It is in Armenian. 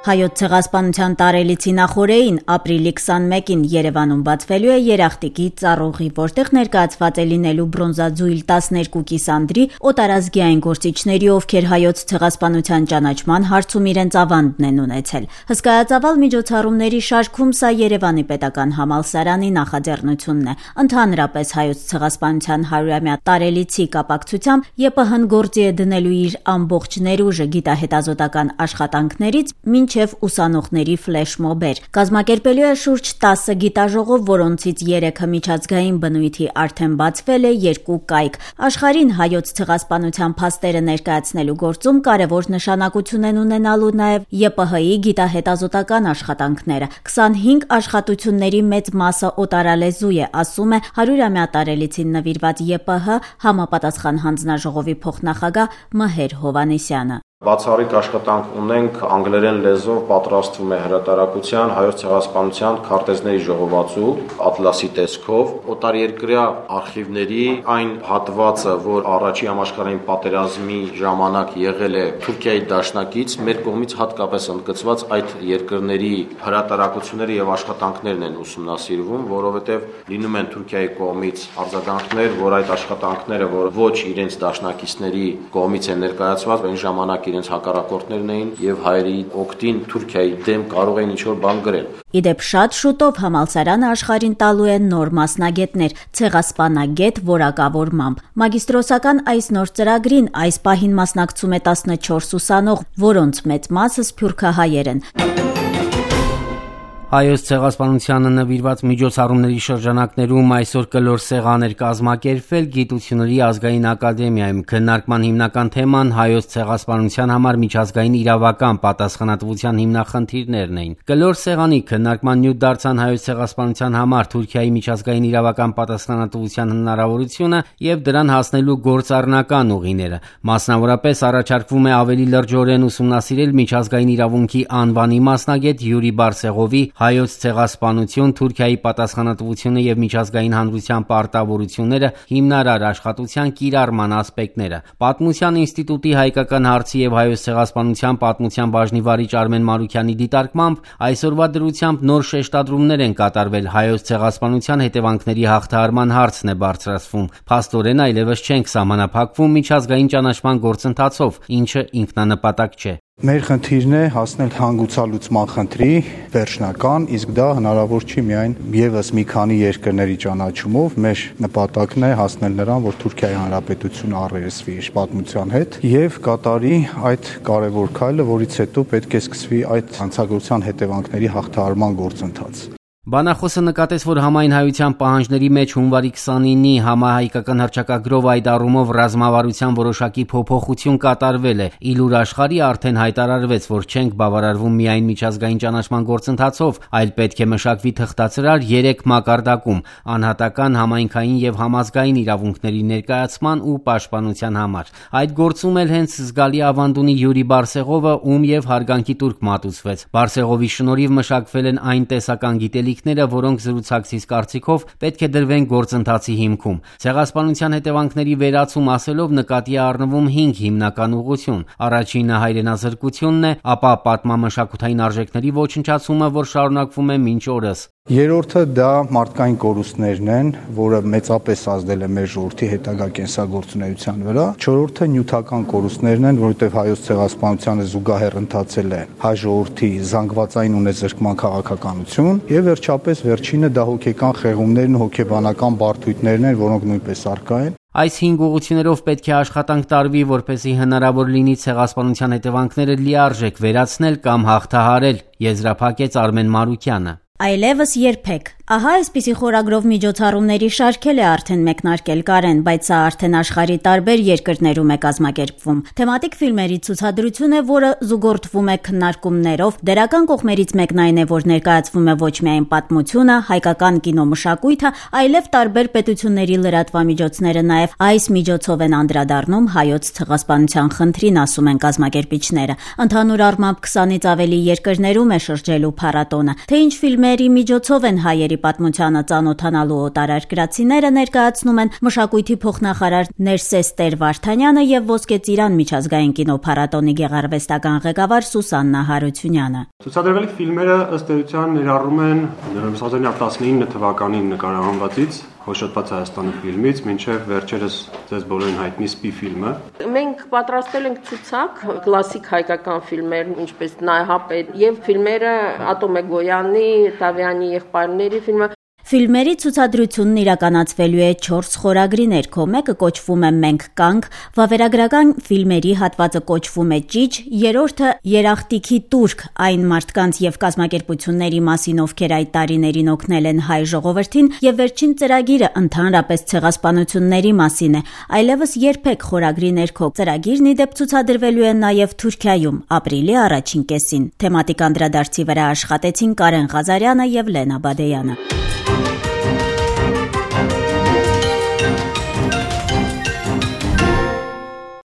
Հայոց ցեղասպանության տարելիցի նախօրեին ապրիլի 21-ին Երևանում բացվելու է երախտիկի ծառուղի, որտեղ ներկայացված է լինելու բրոնզաձույլ 12 կիսանդրի օտարազգային գործիչների, ովքեր հայոց ցեղասպանության ճանաչման հարցում իրենց ավանդն են ունեցել։ Հսկայածավալ միջոցառումների շարքում սա Երևանի պետական համալսարանի նախաձեռնությունն է։ Ընդհանրապես հայոց ցեղասպանության 100-ամյա տարելիցի կապակցությամբ ԵՊՀ-ն գործի է դնելու իր ամբողջ ներուժը գիտահետազոտական աշխատանքներից մինչև ուսանողների ֆլեշմոբեր։ Կազմակերպելու է շուրջ 10 գիտաժողով, որոնցից 3-ը միջազգային բնույթի արդեն բացվել է, 2 կայք։ Աշխարհին հայոց ցեղասպանության փաստերը ներկայացնելու գործում կարևոր նշանակություն են ունենալու նաև ԵՊՀ-ի գիտահետազոտական աշխատանքները։ 25 աշխատությունների մեծ մասը օտարալեզու է, ասում է 100-ամյա տարելիցին նվիրված ԵՊՀ համապատասխան հանձնաժողովի փոխնախագահ Մհեր Հովհաննիսյանը։ Բացառիկ աշխատանք ունենք, անգլերեն լեզվով պատրաստվում է հրատարակության հայոց ցեղասպանության քարտեզների ժողովածու ատլասի տեսքով, օտարերկրյա արխիվների այն հատվածը, որ առաջի համաշխարհային պատերազմի ժամանակ եղել է Թուրքիայի դաշնակից, մեր կողմից հատկապես ընդգծված այդ երկրների հրատարակությունները եւ աշխատանքներն են ուսումնասիրվում, որովհետեւ լինում են Թուրքիայի կողմից արձագանքներ, որ այդ աշխատանքները, որ ոչ իրենց դաշնակիցների կողմից են ներկայացված, այն ժամանակ իրենց հակառակորդներն էին եւ հայերի օգտին Թուրքիայի դեմ կարող էին ինչ-որ բան գրել։ Իդեպ շատ շուտով համալսարանը աշխարհին տալու է նոր մասնագետներ, ցեղասպանագետ որակավորմամբ։ Մագիստրոսական այս նոր ծրագրին այս պահին մասնակցում է 14 ուսանող, որոնց մեծ մասը սփյուռքահայեր են։ Հայոց ցեղասպանությանը նվիրված միջոցառումների շրջանակներում այսօր կլոր սեղան էր կազմակերպվել Գիտությունների ազգային ակադեմիայում։ Քննարկման հիմնական թեման հայոց ցեղասպանության համար միջազգային իրավական պատասխանատվության հիմնախնդիրներն էին։ Կլոր սեղանի քննարկման նյութ դարձան հայոց ցեղասպանության համար Թուրքիայի միջազգային իրավական պատասխանատվության հնարավորությունը եւ դրան հասնելու գործառնական ուղիները։ Մասնավորապես առաջարկվում է ավելի լրջորեն ուսումնասիրել միջազգային իրավունքի անվանի մասնագետ Յուրի Բարսեղովի հայոց ցեղասպանություն, Թուրքիայի պատասխանատվությունը եւ միջազգային հանրության պարտավորությունները հիմնարար աշխատության կիրառման ասպեկտները։ Պատմության ինստիտուտի հայկական հարցի եւ հայոց ցեղասպանության պատմության բաժնի վարիչ Արմեն Մարուքյանի դիտարկմամբ այսօրվա դրությամբ նոր շեշտադրումներ են կատարվել հայոց ցեղասպանության հետևանքների հաղթահարման հարցն է բարձրացվում։ Փաստորեն այլևս չենք սահմանափակվում միջազգային ճանաչման գործընթացով, ինչը ինքնանպատակ չէ։ Մեր խնդիրն է հասնել հանգուցալուծման խնդրի վերջնական, իսկ դա հնարավոր չի միայն եւս մի քանի երկրների ճանաչումով։ Մեր նպատակն է հասնել նրան, որ Թուրքիայի Հանրապետությունը առերեսվի իր պատմության հետ եւ կատարի այդ կարևոր քայլը, որից հետո պետք է սկսվի այդ հանցագործության հետևանքների հաղթահարման գործընթաց։ Բանախոսը նկատեց, որ համայն հայության պահանջների մեջ հունվարի 29-ի համահայկական հռչակագրով այդ առումով ռազմավարության որոշակի փոփոխություն կատարվել է։ Իլուր աշխարհի արդեն հայտարարվեց, որ չենք բավարարվում միայն միջազգային ճանաչման գործընթացով, այլ պետք է մշակվի թղթածրար 3 մակարդակում՝ անհատական, համայնքային եւ համազգային իրավունքների ներկայացման ու պաշտպանության համար։ Այդ գործում էլ հենց զգալի ավանդ ունի Յուրի Բարսեղովը, ում եւ հարգանքի տուրք մատուցվեց։ Բարսեղովի շնորհիվ մշակվել են այն տեսական գիտելիքները, որոնք զրուցակցից կարծիքով պետք է դրվեն գործընթացի հիմքում։ Ցեղասպանության հետևանքների վերացում ասելով նկատի է առնվում 5 հիմնական ուղղություն։ Առաջինը հայրենազրկությունն է, ապա պատմամշակութային արժեքների ոչնչացումը, որ շարունակվում է մինչ օրս։ Երրորդը դա մարդկային կորուստներն են, որը մեծապես ազդել է մեր ժողովրդի հետագա կենսագործունեության վրա։ Չորրորդը նյութական կորուստներն են, որովհետև հայոց ցեղասպանությանը զուգահեռ ընթացել է հայ ժողովրդի զանգվածային ունեզրկման քաղաքականություն, եւ վերջապես վերջինը դա հոգեկան խեղումներն ու հոգեբանական բարդույթներն են, որոնք նույնպես առկա են։ Այս 5 ուղղություններով պետք է աշխատանք տարվի, որպեսզի հնարավոր լինի ցեղասպանության հետևանքները լիարժեք վերացնել կամ հաղթահարել, եզրափակեց Արմեն Մարուքյանը։ Այլևս երբեք։ Ահա այսպիսի խորագրով միջոցառումների շարքել է արդեն մեկնարկել Կարեն, բայց սա արդեն աշխարհի տարբեր երկրներում է կազմակերպվում։ Թեմատիկ ֆիլմերի ցուցադրություն է, որը զուգորդվում է քննարկումներով։ Դերական կողմերից մեկն այն է, որ ներկայացվում է ոչ միայն պատմությունը, հայկական կինոմշակույթը, այլև տարբեր պետությունների լրատվամիջոցները նաև այս միջոցով են անդրադառնում հայոց ցեղասպանության խնդրին, ասում են կազմակերպիչները։ Ընդհանուր առմամբ 20-ից ավելի երկրներում է շրջելու փառատոնը։ Թե ինչ ֆիլմերի միջոցով են հայերի կորուստների պատմությանը ծանոթանալու օտարերկրացիները ներկայացնում են մշակույթի փոխնախարար Ներսես Տեր-Վարդանյանը եւ Ոսկե ծիրան միջազգային կինոփառատոնի գեղարվեստական ղեկավար Սուսաննա Հարությունյանը։ Ցուցադրվելի ֆիլմերը ըստ էության ներառում են 2019 թվականին նկարահանվածից Հոշոտված Հայաստանը ֆիլմից մինչև վերջերս ձեզ բոլորին հայտնի Սպի ֆիլմը։ Մենք պատրաստել ենք ցուցակ կլասիկ հայկական ֆիլմեր, ինչպես Նայհապետ եւ ֆիլմերը Ատոմե Գոյանի, Տավյանի եղբայրների ֆիլմը։ Ֆիլմերի ցուցադրությունն իրականացվելու է 4 խորագրի ներքո, մեկը կոչվում է «Մենք կանք», վավերագրական ֆիլմերի հատվածը կոչվում է «Ճիչ», երրորդը «Երախտիքի տուրք», այն մարդկանց եւ կազմակերպությունների մասին, ովքեր այդ տարիներին օգնել են հայ ժողովրդին, եւ վերջին ծրագիրը ընդհանրապես ցեղասպանությունների մասին է։ Այլևս երբեք խորագրի ներքո ծրագիրն ի դեպ ցուցադրվելու է նաեւ Թուրքիայում ապրիլի առաջին կեսին։ Թեմատիկ անդրադարձի վրա աշխատեցին Կարեն Ղազարյանը եւ Լենա Բադեյանը։